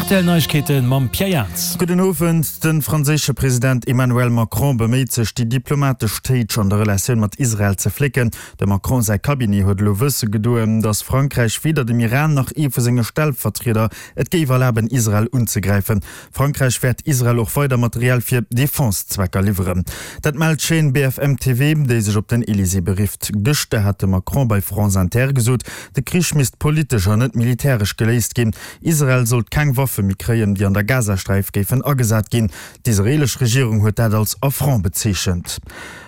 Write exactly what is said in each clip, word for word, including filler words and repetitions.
D'R T L Neiegkeete mam Pierre Jans. Gudden Owend. De franséische President Emmanuel Macron beméit sech, déi diplomatesch Téitsch an der Relatioun mat Israel ze flécken. Dem Macron säi Cabinet huet elo wësse gedoen, datt Frankräich weder dem Iran nach ee vu senge Stellvertrieder et géif erlaben, Israel unzegräifen. Frankräich wäert Israel och weider Material fir Defense-Zwecker liwweren. Dat mellt d'Chaîne B F M T V, déi sech op den Elysée berifft. Gëschter hat de Macron bei France Inter gesot, de Krich misst politesch an net militäresch geléist ginn. Israel sollt keng Waffe méi kréien, déi an der Gazasträif géifen agesat ginn. D'israeelesch Regierung huet dat als Affront bezeechent.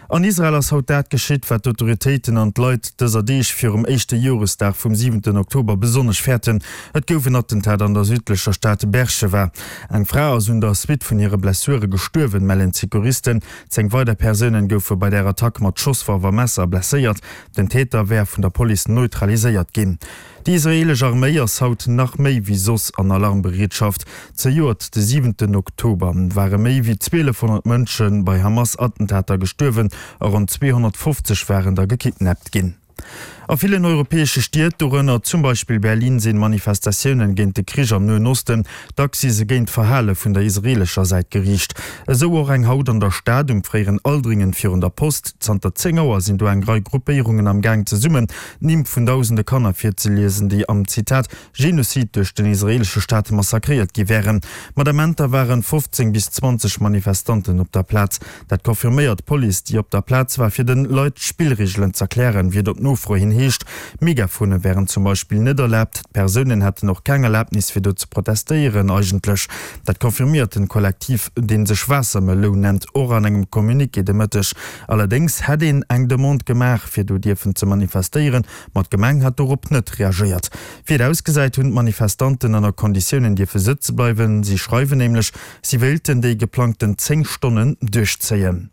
An Israel ass haut dat geschitt, wat d'Autoritéiten an d'Leit dëser Deeg virum éischte Joresdag vum siwenten Oktober besonnesch fäerten. Et gouf en Attentat an der südlecher Stad Beerschewa. Eng Fra ass un der Suite vun hire Blessure gestuerwen, mellen d'Secouristen. Zéng weider Persounen goufe bei der Attack mat Schosswaff a Messer blesséiert. Den Täter wär vun der Police neutraliséiert ginn. Déi israeelesch Arméi ass haut nach méi wéi soss an Alarmbereetschaft. Zejoert de siwenten Oktober ware méi wéi zwielefhonnert Mënsche bei Hamas-Attentater gestuerwen a ronn zweehonnertfofzeg waren der gekidnappt ginn. A villen europäesche Stied, dorënner zum Beispill Berlin, sinn Manifestatiounen géint de Krich am Noen Osten, dacks si se géint d'Verhale vun der israeelescher Säit geriicht. Esou och eng haut an der Stad um fréieren Aldringen virun der Post. Zanter zéng Auer sinn do eng Rei Gruppéierungen am Gaang zesummen d'Nimm vun dausende Kanner virzeliesen, déi am, Zitat, Genozid duerch den israeelesche Staat massakréiert gi wären. Mat Amenter waren fofzéng bis zwanzeg Manifestanten op der Plaz. Dat confirméiert d'Police, déi op der Plaz war fir de Leit d'Spillreegelen z'erklären, wéi et op Nofro hin heescht. Megafone wären zum Beispill net erlaabt, d'Persounen hätten och keng Erlabnis fir do ze protestéieren eigentlech. Dat confirméiert den Kollektiv, dee sech Waassermeloun nennt, och an engem Communiqué de Mëtteg. Allerdéngs hätt een eng Demande gemaach fir do dierfen ze manifestéieren, ma d'Gemeng hätt dorop net reagéiert. Wéi et ausgesäit, hunn d'Manifestanten ënner Konditiounen dierfe sëtze bleiwen. Si schreiwen nämlech, si wéilten déi geplangten zéng Stonnen duerchzéien.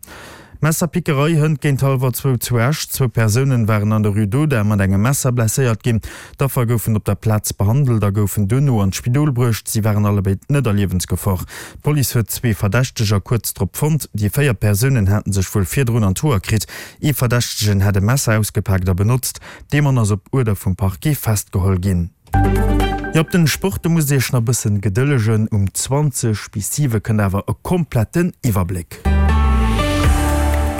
Messerpickerei hënt géint hallwer zwou zu Esch. Zwou Persounen waren an der Rue d'Audun mat engem Messer blesséiert ginn. D'Affer goufen op der Plaz behandelt a goufen duerno an d'Spidol bruecht. Si waren allebéid net a Liewensgefor. D'Police huet zwee Verdächteger kuerz drop fonnt. Déi véier Persounen haten sech wuel virdrun an d'Hoer kritt. Ee Verdächtegen hätt e Messer ausgepaakt a benotzt. Dee Mann ass op Uerder vum Parquet festgeholl ginn. Jo, op den Sport, do musst dir iech nach bëssen gedëllegen. Um zwanzeg bis siwe kënnt awer e kompletten Iwwerbléck.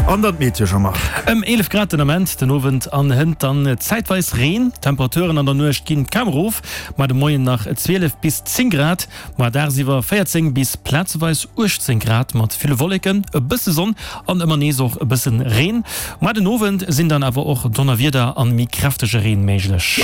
An dann d'Meteo, Jean-Marc. Ëm eelef Grad den Ament, den Owend an hënt dann zäitweis Reen. D'Temperaturen an der Nuecht ginn kaum erof, mar de Moien nach zwielef bis zéng Grad, ma dagsiwwer véierzéng bis plazeweis uechtzéng Grad mat ville Wolleken, e bësse Sonn an ëmmer nees och e bëssen Reen. Mar den Owend sinn dann awer och Donnerwieder an méi kräftege Reen méiglech.